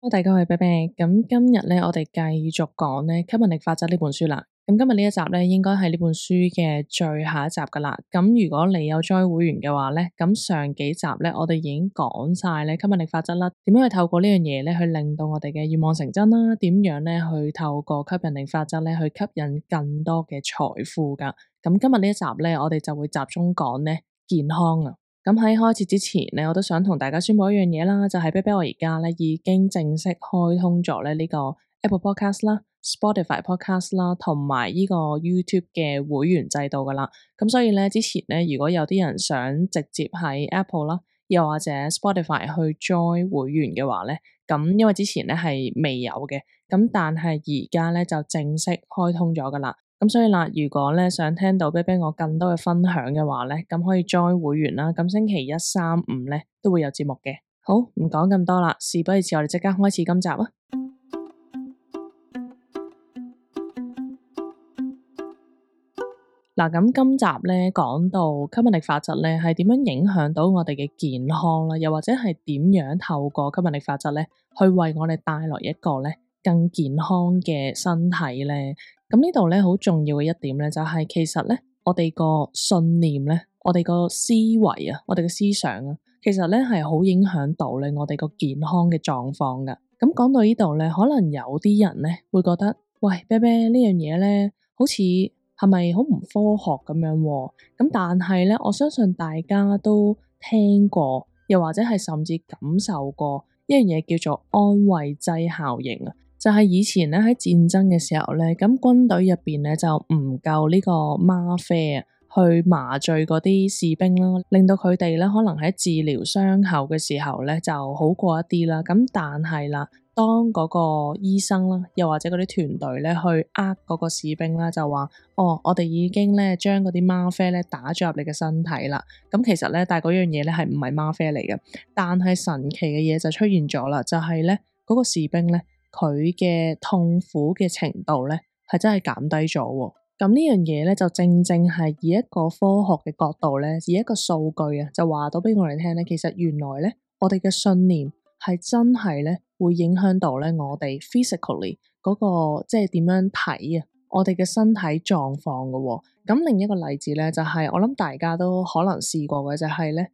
大家好，我係啤啤。咁今日咧，我哋繼續講咧吸引力法則呢本書啦。咁今日呢一集咧，應該係呢本書嘅最後一集噶啦。咁如果你有 join 會員嘅話咧，咁上幾集咧，我哋已經講晒咧吸引力法則啦，點樣去透過呢樣嘢咧，去令到我哋嘅願望成真啦，點樣咧去透過吸引力法則咧，去吸引更多嘅財富噶。咁今日呢一集咧，我哋就會集中講咧健康啊。咁喺開始之前咧，我都想同大家宣布一樣嘢啦，就係啤啤我而家咧已經正式開通咗咧呢個 Apple Podcast 啦、Spotify Podcast 啦，同埋呢個 YouTube 嘅會員制度噶啦。咁所以咧，之前咧如果有啲人想直接喺 Apple 啦，又或者 Spotify 去 join 會員嘅話咧，咁因為之前咧係未有嘅，咁但係而家咧就正式開通咗噶啦。咁所以啦，如果咧想聽到啤啤我更多嘅分享嘅話咧，咁可以 join 會員啦。咁星期一、三、五咧都會有節目嘅。好，唔講咁多啦，事不宜遲，我哋即刻開始今集啊！嗱，咁今集咧講到吸引力法則咧係點樣影響到我哋嘅健康啦，又或者係點樣透過吸引力法則咧去為我哋帶來一個咧更健康嘅身體咧？咁呢度咧好重要嘅一點咧，就係其實咧我哋個信念咧，我哋個思維啊，我哋嘅思想啊，其實咧係好影響到咧我哋個健康嘅狀況噶。咁講到呢度咧，可能有啲人咧會覺得，喂，啤啤呢樣嘢咧，好似係咪好唔科學咁樣喎？咁但係咧，我相信大家都聽過，又或者係甚至感受過一樣嘢叫做安慰劑效應啊。就係以前咧喺戰爭嘅時候咧，咁軍隊入邊咧就唔夠呢個嗎啡啊，去麻醉嗰啲士兵啦，令到佢哋咧可能喺治療傷口嘅時候咧就好過一啲啦。咁但係啦，當嗰個醫生啦，又或者嗰啲團隊咧去嗰個士兵啦，就話哦，我哋已經咧將嗰啲嗎啡咧打咗入你嘅身體啦。咁其實咧，但係嗰樣嘢咧係唔係嗎啡嚟嘅，但係神奇嘅嘢就出現咗啦，就係咧嗰個士兵咧，佢嘅痛苦嘅程度咧，係真係減低咗喎。咁呢樣嘢咧，就正正係以一個科學嘅角度咧，以一個數據啊，就話到俾我哋聽咧，其實原來咧，我哋嘅信念係真係咧，會影響到咧我哋 physically 嗰個即係點樣睇啊，我哋嘅身體狀況㗎喎。咁另一個例子咧，就係我諗大家都可能試過嘅，就係咧，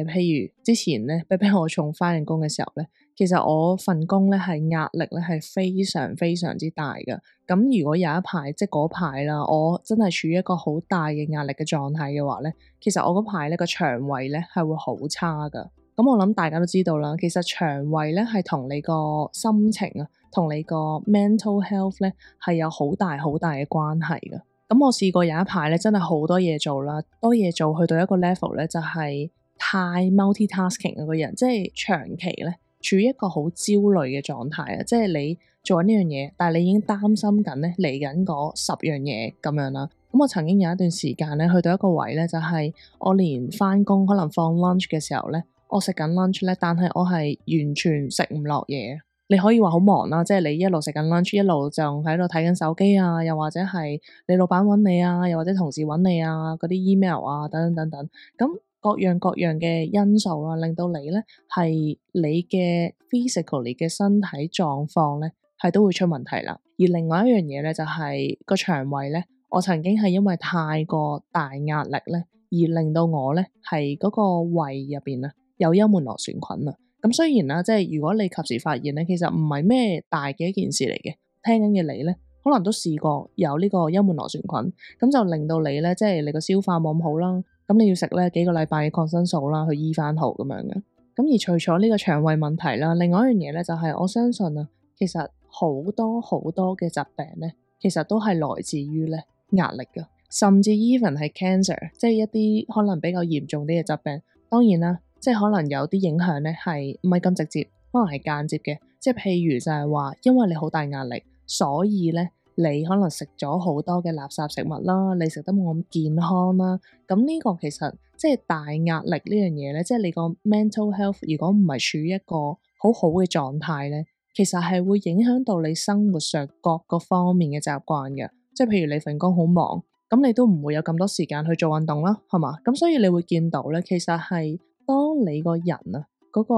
譬如之前咧，啤啤我仲返緊工嘅時候咧。其實我份工咧係壓力咧係非常非常之大嘅。咁如果有一排即係嗰排啦，我真係處於一個好大嘅壓力嘅狀態嘅話咧，其實我嗰排咧個腸胃咧係會好差噶。咁我諗大家都知道啦，其實腸胃咧係同你個心情啊，同你個 mental health 咧係有好大好大嘅關係噶。咁我試過有一排咧真係好多嘢做啦，多嘢做去到一個 level 咧就係太 multitasking 嘅個人，即係長期咧處於一個好焦慮嘅狀態啊！即係你做緊呢樣嘢，但係你已經擔心緊咧嚟緊嗰10樣嘢咁樣啦。咁我曾經有一段時間咧，去到一個位咧，就係我連返工可能放 lunch 嘅時候咧，我食緊 lunch 咧，但係我係完全食唔落嘢。你可以話好忙啦，即係你一路食緊 lunch，一路就喺度睇緊手機啊，又或者係你老闆揾你啊，又或者同事揾你啊，嗰啲 email 啊，等等等等，咁各樣各樣嘅因素啦，令到你咧係你嘅 physically 嘅身體狀況咧係都會出問題啦。而另外一樣嘢咧就係個腸胃咧，我曾經係因為太過大壓力咧，而令到我咧係嗰個胃入邊啊有幽門螺旋菌啊。咁雖然啦，即係如果你及時發現咧，其實唔係咩大嘅一件事嚟嘅。聽緊嘅你咧，可能都試過有呢個幽門螺旋菌，咁就令到你咧，即係你個消化冇咁好啦。咁你要食咧幾個禮拜嘅抗生素啦，去醫翻好咁樣嘅。咁而除咗呢個腸胃問題啦，另外一樣嘢咧就係我相信啊，其實好多好多嘅疾病咧，其實都係來自於咧壓力噶，甚至 even 係 cancer，即係一啲可能比較嚴重啲嘅疾病。當然啦。即係可能有啲影響咧，係唔係咁直接，可能係間接嘅。即係譬如就係話，因為你好大壓力，所以咧你可能食咗好多嘅垃圾食物啦，你食得冇咁健康啦。咁呢個其實即係大壓力呢樣嘢咧，即係你個 mental health 如果唔係處於一個好好嘅狀態咧，其實係會影響到你生活上各個方面嘅習慣嘅。即係譬如你份工好忙，咁你都唔會有咁多時間去做運動啦，係嘛？咁所以你會見到咧，其實係。當你個人啊嗰個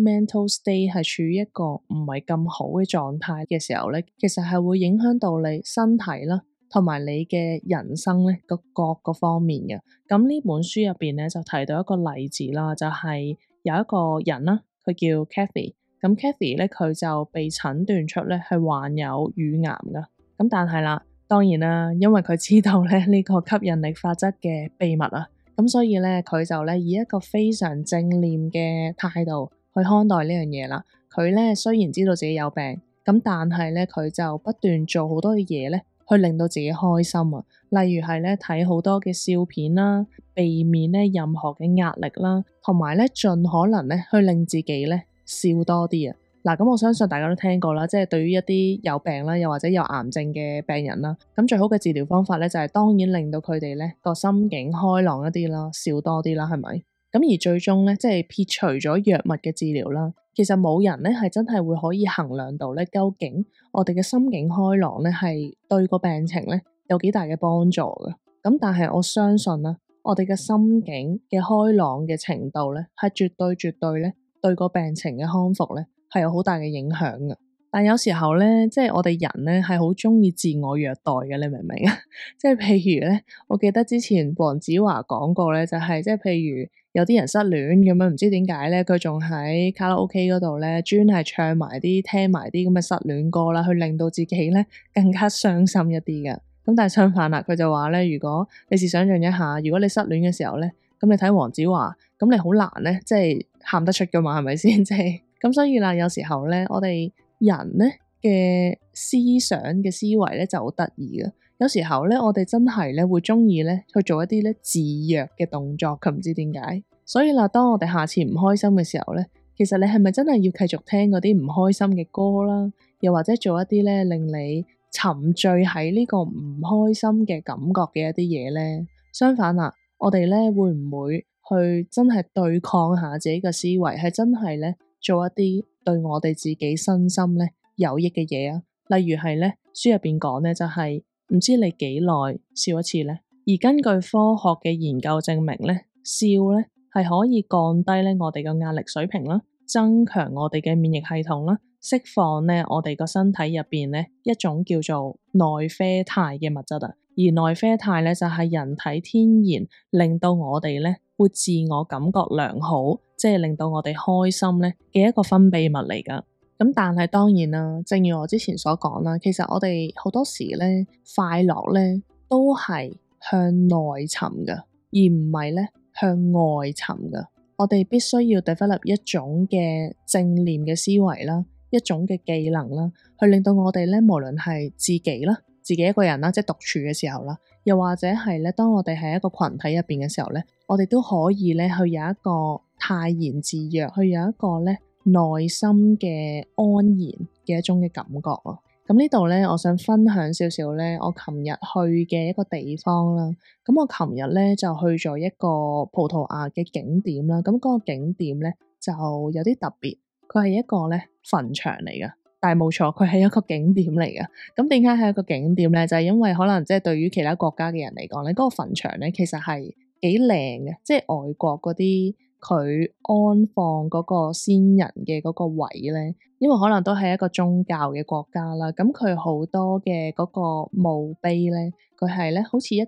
mental state 係處於一個唔係咁好嘅狀態嘅時候咧，其實係會影響到你身體啦，同埋你嘅人生咧各個方面嘅。咁呢本書入邊咧就提到一個例子啦，就係有一個人啦，佢叫 Kathy。咁 Kathy 咧佢就被診斷出咧係患有乳癌噶。咁但係啦，當然啦，因為佢知道咧呢個吸引力法則嘅秘密啊。咁所以咧，佢就咧以一個非常正念嘅態度去看待呢樣嘢啦。佢咧雖然知道自己有病，咁但係咧佢就不斷做好多嘅嘢咧，去令到自己開心啊。例如係咧睇好多嘅笑片啦，避免咧任何嘅壓力啦，同埋咧盡可能咧去令自己咧笑多啲啊。嗱，咁我相信大家都聽過啦，即係對於一啲有病啦，又或者有癌症嘅病人啦，咁最好嘅治療方法咧就係當然令到佢哋咧個心境開朗一啲啦，笑多啲啦，係咪？咁而最終咧，即係撇除咗藥物嘅治療啦，其實冇人咧係真係會可以衡量到咧，究竟我哋嘅心境開朗咧係對個病情咧有幾大嘅幫助嘅。咁但係我相信啦，我哋嘅心境嘅開朗嘅程度咧係絕對咧對個病情嘅康復咧係有好大嘅影響嘅。但有時候咧，即係我哋人咧係好鍾意自我虐待嘅，你明唔明啊？即係譬如咧，我記得之前黃子華講過咧，就係即係譬如有啲人失戀咁樣，唔知點解咧，佢仲喺卡拉 OK 嗰度咧，專係唱埋啲聽埋啲咁嘅失戀歌啦，去令到自己咧更加傷心一啲嘅。咁但係相反啦，佢就話咧，如果你試想像一下，如果你失戀嘅時候咧，咁你睇黃子華，咁你好難咧，即係喊得出㗎嘛，係咪先？即係咁，所以啦，有時候咧，我哋人咧嘅思想嘅思維咧就好得意嘅。有時候咧，我哋真係咧會鍾意咧去做一啲咧自虐嘅動作，佢唔知點解。所以啦，當我哋下次唔開心嘅時候咧，其實你係咪真係要繼續聽嗰啲唔開心嘅歌啦？又或者做一啲咧令你沉醉喺呢個唔開心嘅感覺嘅一啲嘢咧？相反啦，我哋咧會唔會去真係對抗下自己嘅思維，係真係咧做一啲對我哋自己身心咧有益嘅嘢啊？例如係咧書入邊講咧，就係唔知你幾耐笑一次咧。而根據科學嘅研究證明咧，笑咧係可以降低咧我哋嘅壓力水平啦，增強我哋嘅免疫系統啦，釋放咧我哋個身體入邊咧一種叫做內啡肽嘅物質啊。而內啡肽咧就係人體天然令到我哋咧會自我感覺良好，即係令到我哋開心咧嘅一個分泌物嚟噶。咁但係當然啦，正如我之前所講啦，其實我哋好多時咧快樂咧都係向內尋噶，而唔係咧向外尋噶。我哋必須要 develop 一種嘅正念嘅思維啦，一種嘅技能啦，去令到我哋咧無論係自己啦，自己一個人啦，即係獨處嘅時候啦，又或者係咧當我哋喺一個群體入邊嘅時候咧，我哋都可以咧去有一個泰然自若，去有一個咧內心嘅安然嘅一種嘅感覺啊。咁呢度咧，我想分享少少咧，我琴日去嘅一個地方啦。咁我琴日咧就去咗一個葡萄牙嘅景點啦。咁嗰個景點咧就有啲特別，佢係一個咧墳場嚟㗎。但係冇錯，佢係一個景點嚟㗎。咁點解係一個景點咧？就係因為可能即係對於其他國家嘅人嚟講咧，嗰個墳場咧其實係幾靚嘅，即係外國嗰啲佢安放嗰個先人嘅嗰個位咧，因為可能都係一個宗教嘅國家啦。咁佢好多嘅嗰個墓碑咧，佢係咧好似一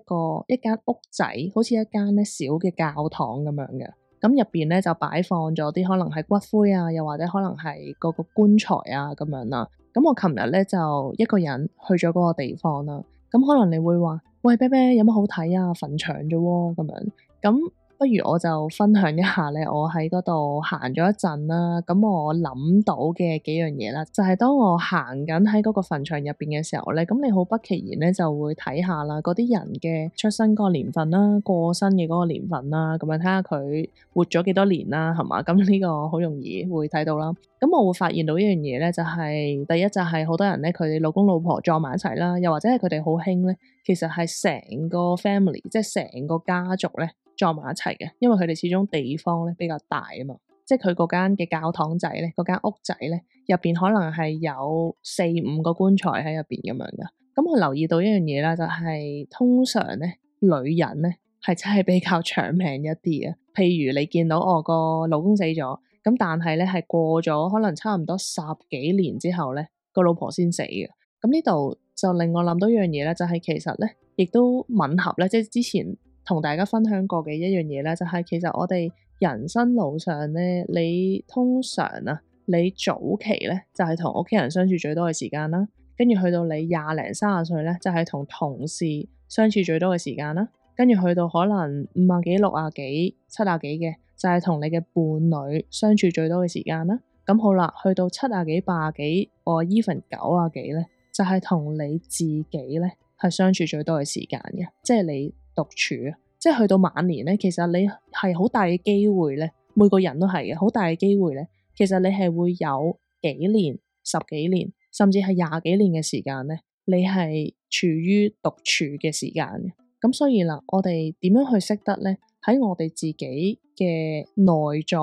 間屋仔，好似一間咧小嘅教堂咁樣嘅。咁入邊咧就擺放咗啲可能係骨灰啊，又或者可能係嗰個棺材啊咁樣啦。咁我琴日咧就一個人去咗嗰個地方啦。咁可能你會話：喂，啤啤有乜好睇啊？墳場啫喎，咁樣。咁不如我就分享一下咧，我喺嗰度行咗一陣啦。咁我諗到嘅幾樣嘢啦，就係當我行緊喺嗰個墳場入邊嘅時候咧，咁你好不其然咧就會睇下啦，嗰啲人嘅出生嗰個年份啦，過身嘅嗰個年份啦，咁樣睇下佢活咗幾多年啦，係嘛？咁呢個好容易會睇到啦。咁我會發現到一樣嘢咧，就係第一就係好多人咧，佢哋老公老婆撞埋一齊啦，又或者係佢哋好興咧，其實係成個 family，即係成個家族咧，撞埋一齊嘅，因為佢哋始終地方咧比較大啊嘛，即係佢嗰間嘅教堂仔咧，嗰間屋仔咧入邊可能係有4-5個棺材喺入邊咁樣噶。咁我留意到一樣嘢啦，就係通常咧女人咧係真係比較長命一啲啊。譬如你見到我個老公死咗，咁但係咧係過咗可能差唔多10幾年之後咧，個老婆先死嘅。咁呢度就令我諗到一樣嘢咧，就係其實咧，亦都吻合咧，即係之前同大家分享過嘅一樣嘢咧，就係其實我哋人生路上咧，你通常啊，你早期咧就係同屋企人相處最多嘅時間啦，跟住去到你20零30歲咧，就係同同事相處最多嘅時間啦，跟住去到可能50幾、60幾、70幾嘅，就係同你嘅伴侶相處最多嘅時間啦。咁好啦，去到70幾、80幾，或 even 90幾咧，就係同你自己咧係相處最多嘅時間嘅，即係你獨處啊，即係去到晚年咧，其實你係好大嘅機會咧，每個人都係嘅，好大嘅機會咧，其實你係會有幾年、10幾年，甚至係20幾年嘅時間咧，你係處於獨處嘅時間嘅。咁所以啦，我哋點樣去識得咧？喺我哋自己嘅內在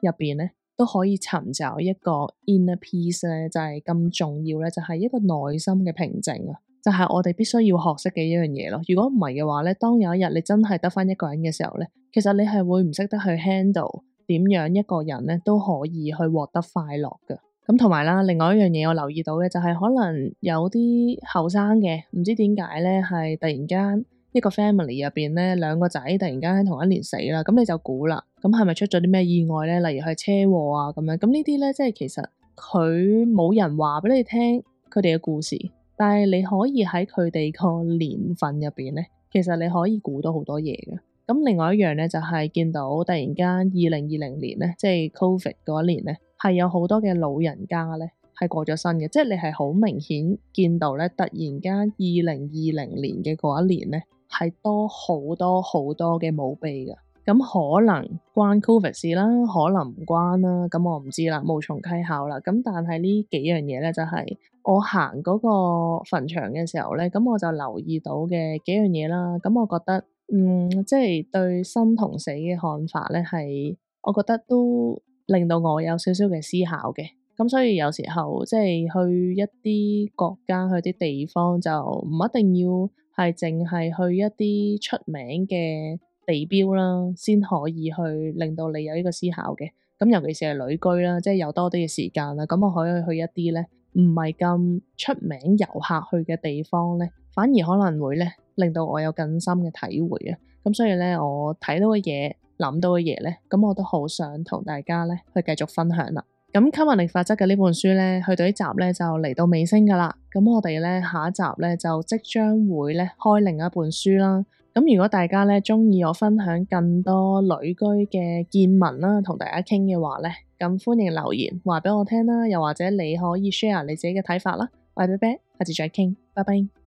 入邊咧，都可以尋找一個 inner peace 咧，就係咁重要咧，就係一個內心嘅平靜啊，就係我哋必須要學識嘅一樣嘢咯。如果唔係嘅話咧，當有一日你真係得返一個人嘅時候咧，其實你係會唔識得去 handle 點樣一個人咧都可以去獲得快樂㗎。咁同埋啦，另外一樣嘢我留意到嘅就係可能有啲後生嘅，唔知點解咧，係突然間一個 family 入邊咧，兩個仔突然間喺同一年死啦，咁你就估啦，咁係咪出咗啲咩意外咧？例如係車禍啊咁樣，咁呢啲咧，即係其實佢冇人話俾你聽佢哋嘅故事，但係你可以喺佢哋個年份入邊咧，其實你可以估到好多嘢嘅。咁另外一樣咧，就係見到突然間2020年咧，即係 Covid 嗰一年咧，係有好多嘅老人家咧係過咗身嘅，即係你係好明顯見到咧，突然間2020年嘅嗰一年咧係多好多好多嘅墓碑㗎。咁可能關 Covid 事啦，可能唔關啦，咁我唔知啦，無從稽考啦。咁但係呢幾樣嘢咧，就係我行嗰個墳場嘅時候咧，咁我就留意到嘅幾樣嘢啦。咁我覺得，即係對生同死嘅看法咧，係我覺得都令到我有少少嘅思考嘅。咁所以有時候即係去一啲國家、去啲地方，就唔一定要係淨係去一啲出名嘅地標啦，先可以去令到你有呢個思考嘅。咁尤其是係旅居啦，即係有多啲嘅時間啦，咁我可以去一啲咧唔係咁出名遊客去嘅地方咧，反而可能會咧令到我有更深嘅體會啊。咁所以咧，我睇到嘅嘢、諗到嘅嘢咧，咁我都好想同大家咧去繼續分享啦。咁吸引力法則嘅呢本書咧，去到呢集咧就嚟到尾聲噶啦。咁我哋咧下一集咧就即將會咧開另一本書啦。咁如果大家咧鍾意我分享更多旅居嘅見聞啦，同大家傾嘅話咧，咁歡迎留言話俾我聽啦，又或者你可以 share 你自己嘅睇法啦。我係啤啤，下次再傾，拜拜。